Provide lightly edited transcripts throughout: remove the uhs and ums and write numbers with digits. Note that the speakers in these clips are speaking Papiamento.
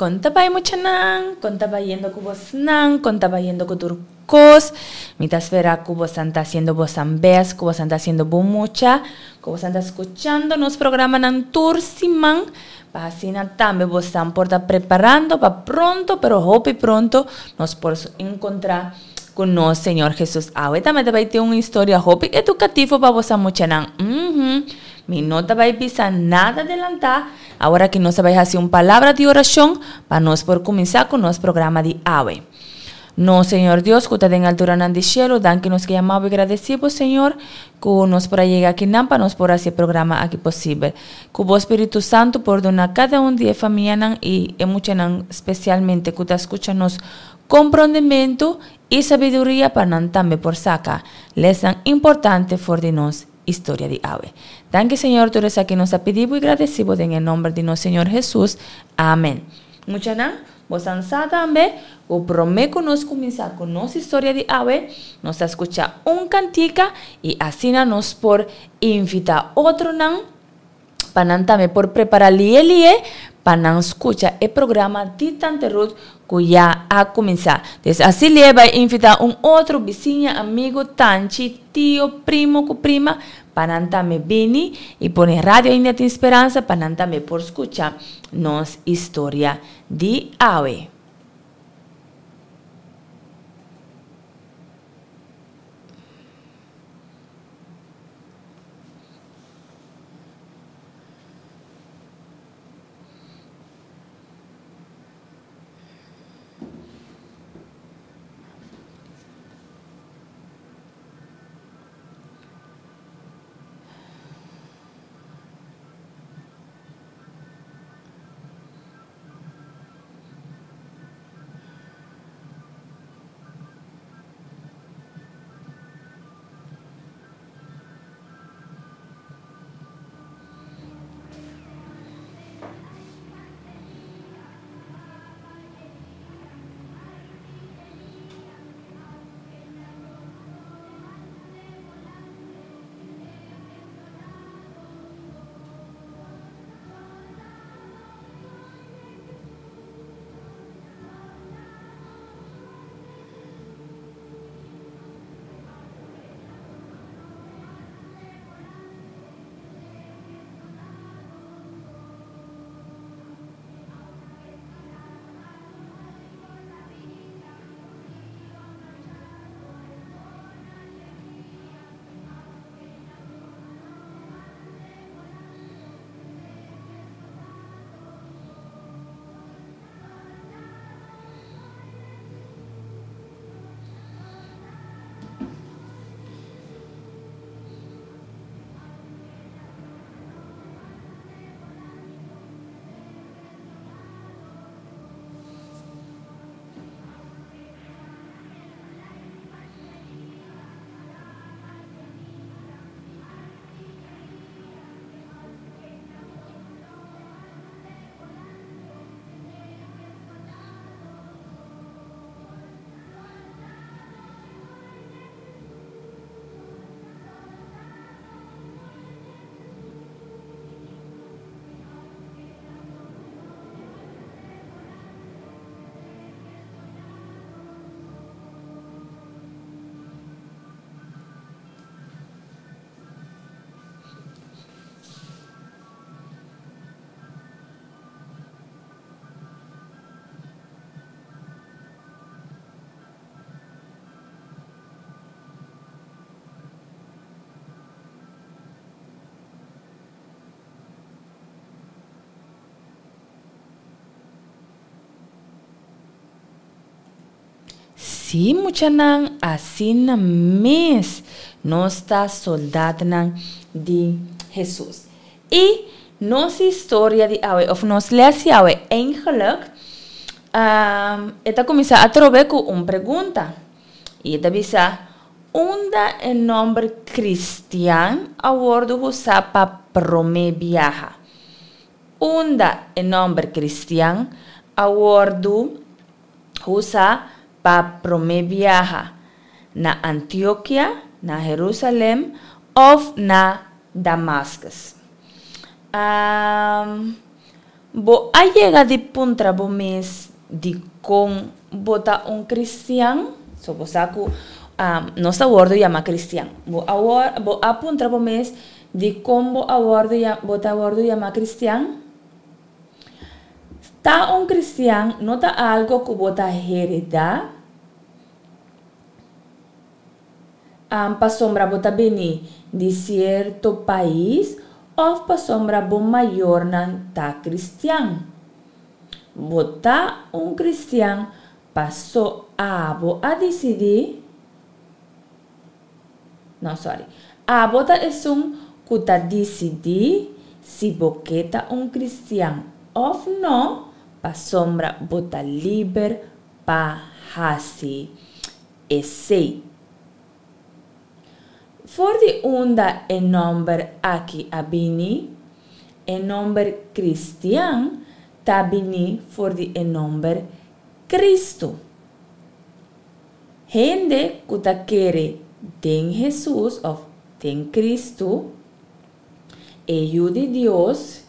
Kon ta bai muchanan? Kon ta bayendo ku bosnan? Kon ta bayendo ku tur kos? Mi ta spera ku bosan ta hasiendo bosan best, ku bosan ta hasiendo bon mucha, ku bosan ta skuchando nos programanan tur siman, pa asina tambe bosan por ta preparando pa pronto, pero hopi pronto, nos por enkontra ku nos Señor Jesus. Awe tambe ta bai tin un historia hopi edukativo pa bosan muchanan. Uhmm. Mi no ta bai bisa nada delantá. Awor aki nos ta bai hasi un palabra di orashon pa nos por kuminsá ku nos programa di awe. Nos Señor Dios ku ta den alturanan di shelu, danki nos ke yama bo i gradesí bo, Señor, ku nos por a yega akinan pa nos por hasi e programa aki posibel. Ku bo Spiritu Santu por duna kada un di e famianan i e muchanan spesialmente ku ta skucha nos komprondementu i sabiduria pa nan tambe por saka lèsnan importante for di nos historia di awe. Danki Señor tur esaki nos a pidi bo y gradeci bo den e nomber di nos Señor Jesus. Amen. Muchanan, bosan sa tambe cu prome cu nos cuminsa cu nos historia di awe, nos ta scucha un cantica y asina nos por invita otronan pa nan tambe por prepara lie lie pa nan scucha e programa di Tante Ruth cu ya a cuminsa. Des asi lie bay invita un otro bisiña, amigo, tanchi, tio, primo cu prima pa nan tambe bini y pone Radio India Tin Speransa pa nan tambe por scucha nos historia di awe. Sí, muchanan, asina mes nos ta soldatnan di Hesus. I nos historia di awe, òf nos lès di awe, eigenlijk, e ta kuminsá atrobe ku un pregunta. I e ta bisa, Unda e nòmber kristian a wòrdu usá pa promé biaha? Unda e nòmber kristian a wòrdu usá pa promé biaha? Na Antiokia, na Herúsalèm òf na Damaskus? Bo a yega di puntra bo mes dikon bo ta un kristian? So bo sa ku nos ta wòrdu yama kristian. Bo a bo a puntra bo mes dikon bo a wòrdu bo ta wòrdu yama kristian? Ta un kristian no ta algo ku bo ta heredá pasobra bo ta bini di sierto pais òf pasobra bo mayornan ta kristian. Bo ta un kristian paso abo a disidí, no sòri, abo ta esun ku ta disidí si bo ke ta un kristian òf no pasobra bo ta liber pa hasi esei. For di unda e nòmber aki a bini? E nòmber kristian ta bini for di e nòmber Kristu. Hende ku ta kere den Hesus òf den Kristu, e Yu di Dios,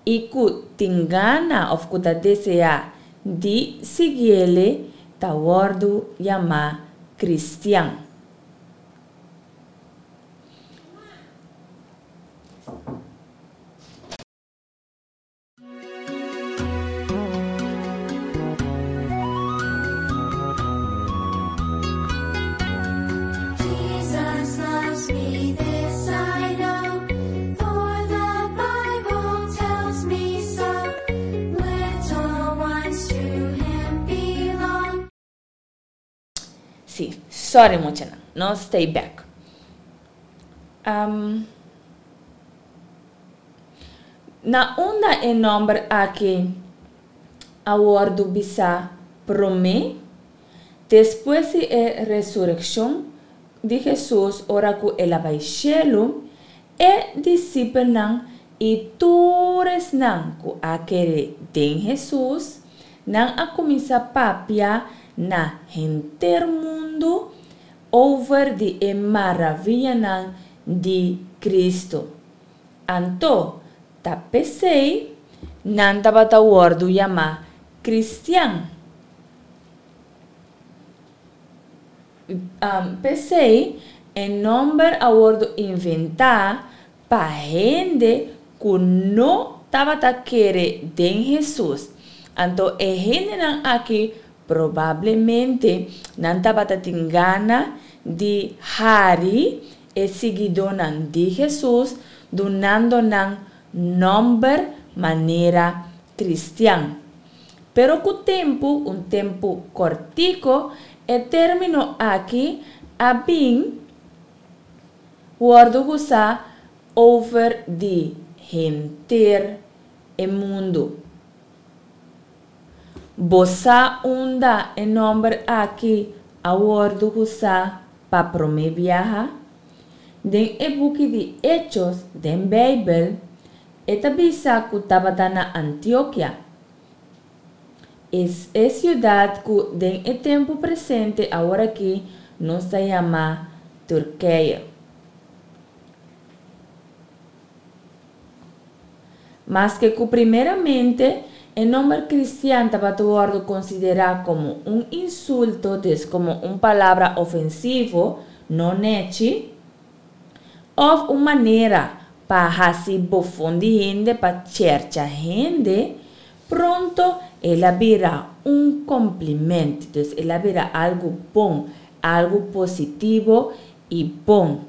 i ku tin gana òf ku ta deseá di siguiele ta wòrdu yamá kristian. Jesus loves me, this I know, for the Bible tells me so. Little ones to him belong. Sí, sorry muchanan, nos stay back. Um, na unda e nomber aki a wordu bisa prome? Despues di e resurekshon di Hesus ora ku el a bai shelu, e disipelnan i tur esnan ku a kere den Hesus, nan a kuminsá papia na henter mundu over di e maravianan di Kristu. Anto, ta p'esei nan tabata wòrdu yamá kristian. P'esei, e nòmber a wòrdu inventá pa hende ku no tabata kere den Hesus. Anto e hendenan aki probablemente nan tabata tin gana di hari e siguidónan di Hesus dunando nan nòmber manera kristian. Pero ku tempu, un tempu kòrtiko, e término aki a bin wòrdu usá over di henter e mundu. Bo sa unda e nòmber aki a wòrdu usá pa promé biaha? Den e buki di Hechos den Beibel, e ta bisa ku tabata na Antiokia. Es e siudat ku den e tempu presente aworakí nos ta yama Turkije. Maske ku primeramente e nomber kristian tabata wòrdu konsiderá komo un insulto, des komo un palabra ofensivo, no nèchi, òf un manera pa hasi bofon di hende pa chèrcha hende, pronto el a bira un kompliment, dus el a bira algu bon, algu positivo i bon.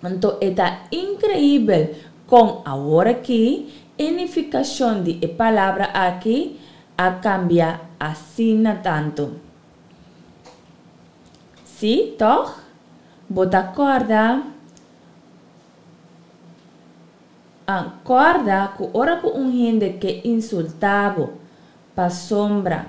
Anto e ta inkreibel kon aworakí e nifikashon di e palabra aki a kambia asina tantu. Sí, tòg? Bo ta kòrda? A Kòrda ku ora ku un hende ke insultá bo pasobra.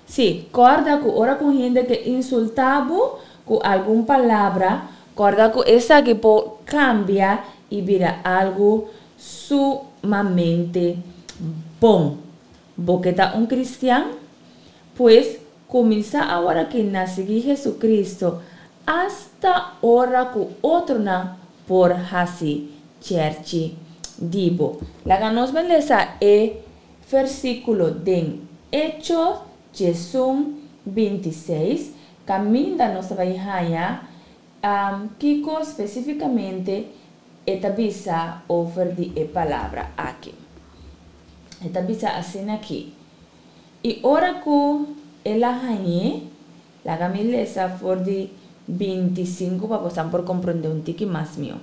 Sí, kòrda ku ora ku un hende ke insultá bo ku algun palabra, kòrda ku esaki por kambia i bira algu sumamente bon. Bo ke ta un kristian? Pues, kuminsá aworakí na sigui Jesucristo. Asta ora ku otronan por hasi chèrchi di bo. Laga nos ban lesa e versíkulo den Echo 11, 26, kaminda nos ta bai haña kiko spesífikamente e ta bisa over di e palabra aki. E ta bisa asina aki, I ora ku el a hañ'é, Laga mi lesa for di 25 pa bosan por komprondé un tiki mas mihó.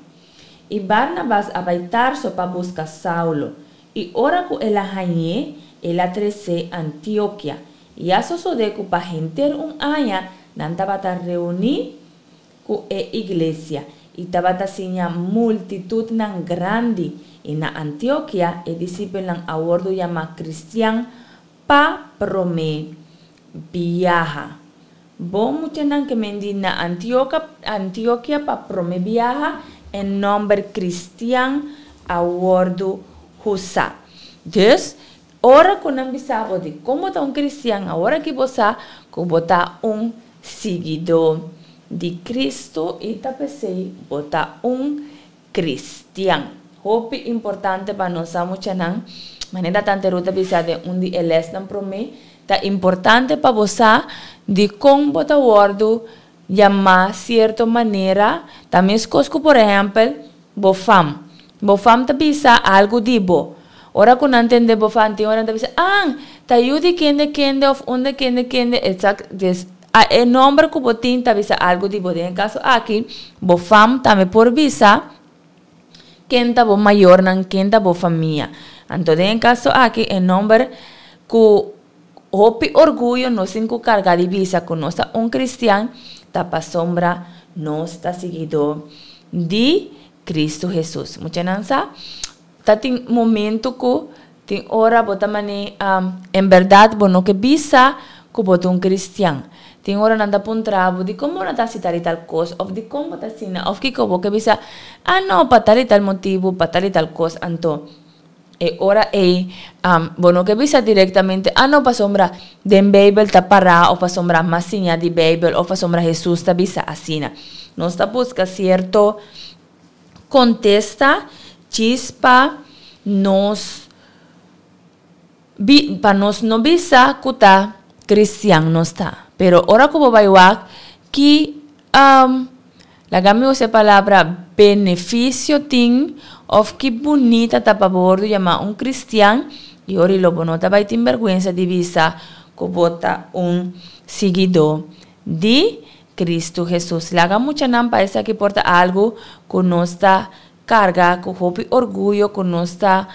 I Barnabas a bai Tarso pa buska Saulo, i ora ku el a hañ'é, el a tres'é Antiokia. I a sosodé ku pa henter un aña nan tabata reuní ku e iglesia i tabata siña multitutnan grandi, i na Antiokia e disipelnan a wòrdu yamá kristian pa promé biaha. Bon muchanan ke men di na Antioka, Antiokia pa promé biaha e nòmber kristian a wòrdu husá. Dus, ora ku nan bisa bo di kon bo ta un kristian, awor aki bo sa ku bo ta un siguidó di Kristu i ta p'esei bo ta un Cristian. Hopi importante pa nos sa muchanan, manera Tante Ruth a bisa den un di e lesnan prome, ta importante pa bo sa dikon bo ta wordu yamá sierto manera, ta meskos ku por ehèmpel bo fam. Bo fam ta bisa algu di bo. Ora ku nan tende bo fam tin ora nan ta bisa, An, ta yu di kende kende òf unda kende kende, etsak, des A E nomber ku bo tin ta bisa algu di bo. Den e kaso aki, bo fam tambe por bisa ken ta bo mayornan, ken ta bo famia. Anto den e kaso aki e nomber ku hopi orguyo nos tin ku karga di bisa ku nos ta un kristian ta pasobra nos ta siguidó di Kristu Hesus. Muchanan sa ta tin momento ku tin ora bo ta mane en bèrdat bo no ke bisa ku bo ta un kristian. Tin ora nan ta puntra bo dikon bo no ta hasi tal i tal kos òf dikon bo ta asina òf kiko bo ke bisa, ah no pa tal i tal motibu, pa tal i tal kos. Anto e ora ei bo no ke bisa direktamente, ah no pasobra den Beibel ta pará òf pasobra mas siña di Beibel òf pasobra Hesus ta bisa asina. Nos ta buska sierto Kontesta djis pa nos bi pa nos no bisa ku ta kristian nos ta. Pero ora ku bo bai wak ki laga mi usa e palabra benefisio tin òf ki bunita ta pa bo wòrdu yamá un kristian i ora lo bo no ta bai tin bèrgwensa di bisa ku bo ta un siguidó di Cristo Jesus. Laga muchanan pa esaki por ta algu ku nos ta karga ku hopi orguyo, ku nos ta,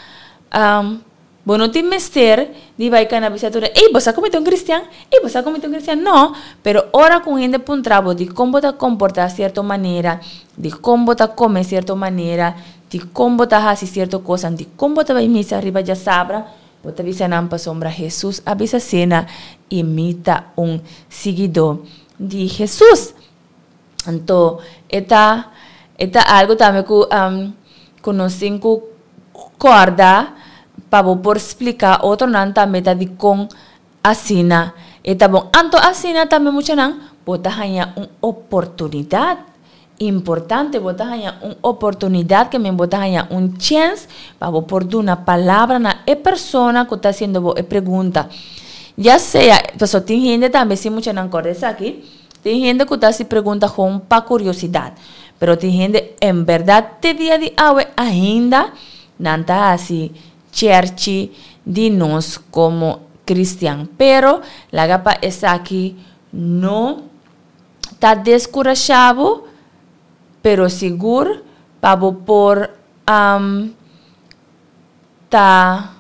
bo no tin mester di bai kana bisa tur hende, ey bo sa ku mi ta un cristian? Ey bo sa ku mi ta un cristian? No, pero ora ku un hende puntra bo dikon bo ta komportá sierto manera, dikon bo ta kome sierto manera, dikon bo ta hasi sierto kosan, dikon bo ta bai misa riba djasabra, Bo ta bisa nan pasobra Hesus a bisa asina i mi ta un siguidó di Hesus. Anto e ta e ta algu tambe ku ku nos tin ku kòrda pa bo por splika otronan tambe ta dikon asina e ta bon. Anto asina tambe muchanan bo ta haña un oportunidat Importante, bo ta haña un oportunidat ke men bo ta haña un chèns pa bo por duna palabra na e persona ku ta hasiendo bo e pregunta. Ya sea, pasobra tin hende tambe si muchanan kòrda esaki, tin hende ku ta hasi pregunta gewoon pa kuriosidat, pero tin hende en bèrdat te dia di awe ainda nan ta hasi chèrchi di nos komo kristian. Pero laga pa esaki no. ta deskurashá bo, pero sigur pa bo por ta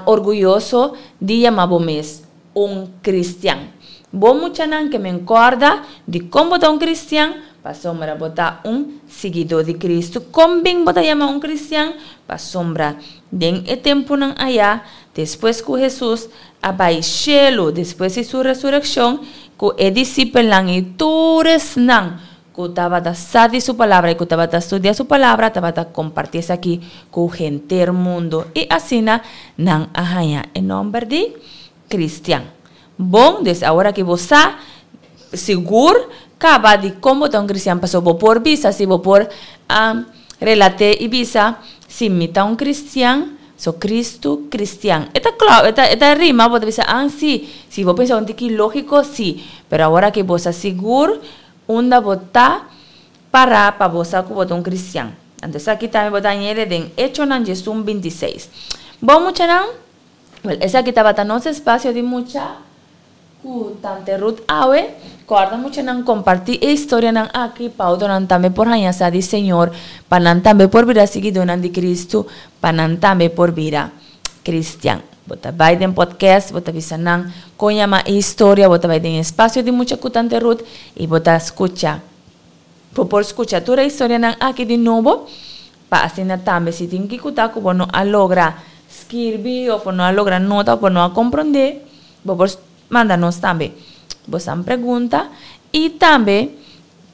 orguyoso di yama bo mes un kristian. Bo muchanan ke men kòrda di kon bo ta un kristian, pasobra bo ta un siguidó di Kristu. Kon bin bo ta yama un kristian? Pasobra den e tempunan ayá, despues ku Hesus a bai shelu despues di su resurekshon ku e disipelnan i tur esnan ku tabata sa di su palabra i ku tabata studia su palabra tabata kompartí esaki ku henter mundu i asina nan a haña e nòmber di kristian. Bon, des awor aki bo sa. sigur kaba di kon bo ta un kristian pasobra bo por bisa si bo por a relat'é i bisa si mi ta un kristian so Kristu kristian e ta kla e ta e ta rima bo ta bisa an si si bo pensa un tiki lógiko si pero awor aki bo sa sigur unda bo ta pará pa bo sa ku bo ta un kristian anto esaki tambe bo ta añede den Echonan diesun 26 bon muchanan wèl esaki tabata nos espasio di mucha. Ku Tante Ruth awe, kòrda muchanan kompartí e historianan aki pa otronan tambe por haña sa di Señor, pa nan tambe por bira siguidónan di Kristu, pa nan tambe por bira kristian. Bo ta bai den podcast, bo ta bisa nan kon yama e historia, bo ta bai den espasio di mucha ku Tante Ruth i bo ta skucha. Bo por skucha tur e historianan aki di nobo, pa asina tambe si tin kiko ta ku bo no a logra skirbi òf bo no a logra nota òf bo no a komprondé, Bo por manda nos tambe bosan pregunta y tambe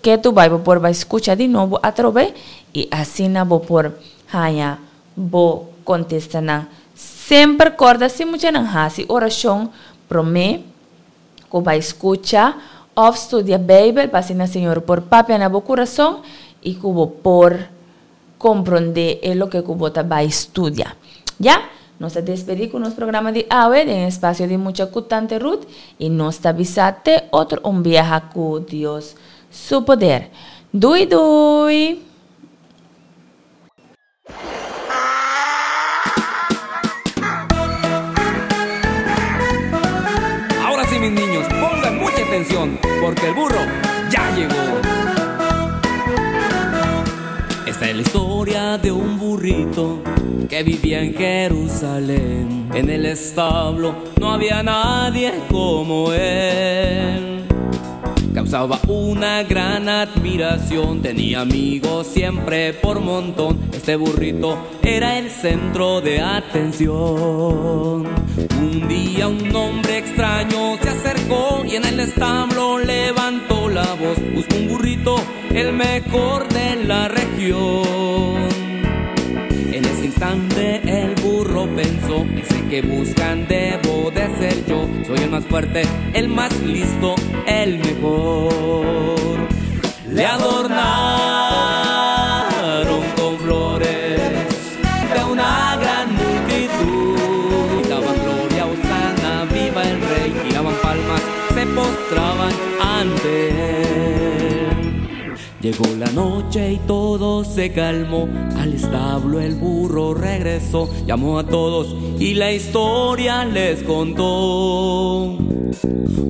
ke tu bai bo por bai scucha di nobo atrobe y asina bo por haña bo contestanan. Semper corda si muchanan haci oracion prome cu bai scucha of studia Bijbel pa asina Señor por papia na bo curason y cu bo por Komprondé e loke ku bo ta bai studia. Ya, nos ta despedí ku nos programa di awe den espasio di Mucha ku Tante Ruth i nos ta bisa te otro un biaha ku Dios su poder. Dui dui! Ahora sí, mis niños, pongan mucha atención, porque el burro ya llegó. Esta es la historia de un burrito que vivía en Jerusalén. En el establo no había nadie como él. Causaba una gran admiración, tenía amigos siempre por montón. Este burrito era el centro de atención. Un día un hombre extraño se acercó y en el establo levantó la voz. Buscó un burrito, el mejor de la región. En ese instante el burro pensó, ese que buscan debo de ser yo. Soy el más fuerte, el más listo, el mejor. Le adornaron con flores de una gran multitud. Gritaban gloria, hosana, viva el rey. Tiraban palmas, se postraban ante él. Llegó la noche y todo se calmó. Al establo el burro regresó, llamó a todos y la historia les contó.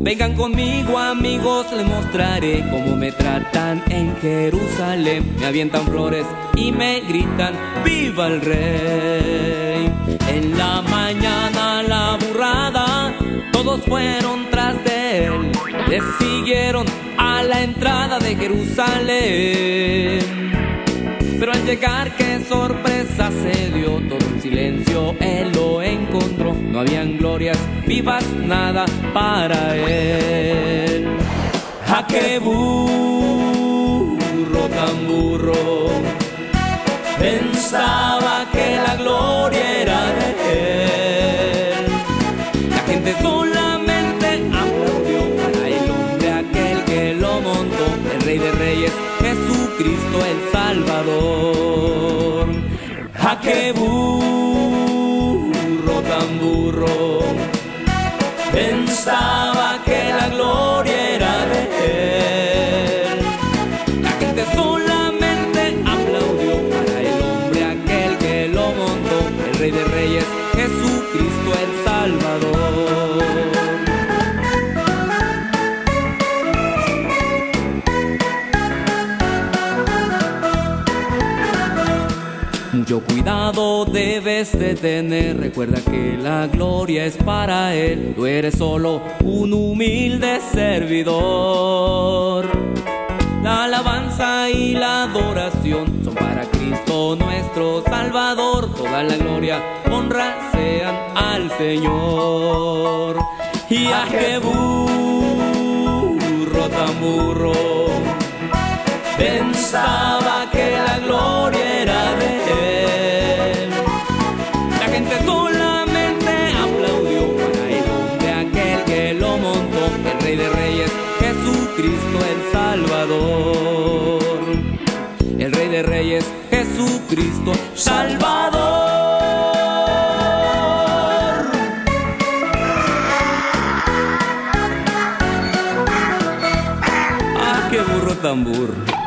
Vengan conmigo amigos, les mostraré cómo me tratan en Jerusalén. Me avientan flores y me gritan, ¡viva el rey! En la mañana la burrada, todos fueron tras de él. Le siguieron a la entrada de Jerusalén. Pero al llegar, qué sorpresa se dio, todo en silencio él lo encontró. No habían glorias vivas, nada para él. ¡Ja, qué burro tan burro! Pensaba que la gloria era de él. La gente solamente aplaudió para el hombre aquel que lo montó, el Rey de Reyes, Jesucristo el Salvador. ¡Ja, qué burro tan burro! Pensaba que la gloria era de él. La gente solamente aplaudió para el hombre aquel que lo montó, el Rey de Reyes, Jesucristo el Salvador. Mucho cuidado debes de tener, recuerda que la gloria es para él, tú eres solo un humilde servidor. La alabanza y la adoración son para Cristo nuestro Salvador, toda la gloria, honra sean al Señor. Y a qué burro tan burro, pensaba que la gloria era de él. La gente solamente aplaudió para el hombre aquel que lo montó, el Rey de Reyes, Jesucristo. Rey es Jesucristo Salvador. Ah, qué burro tan burro.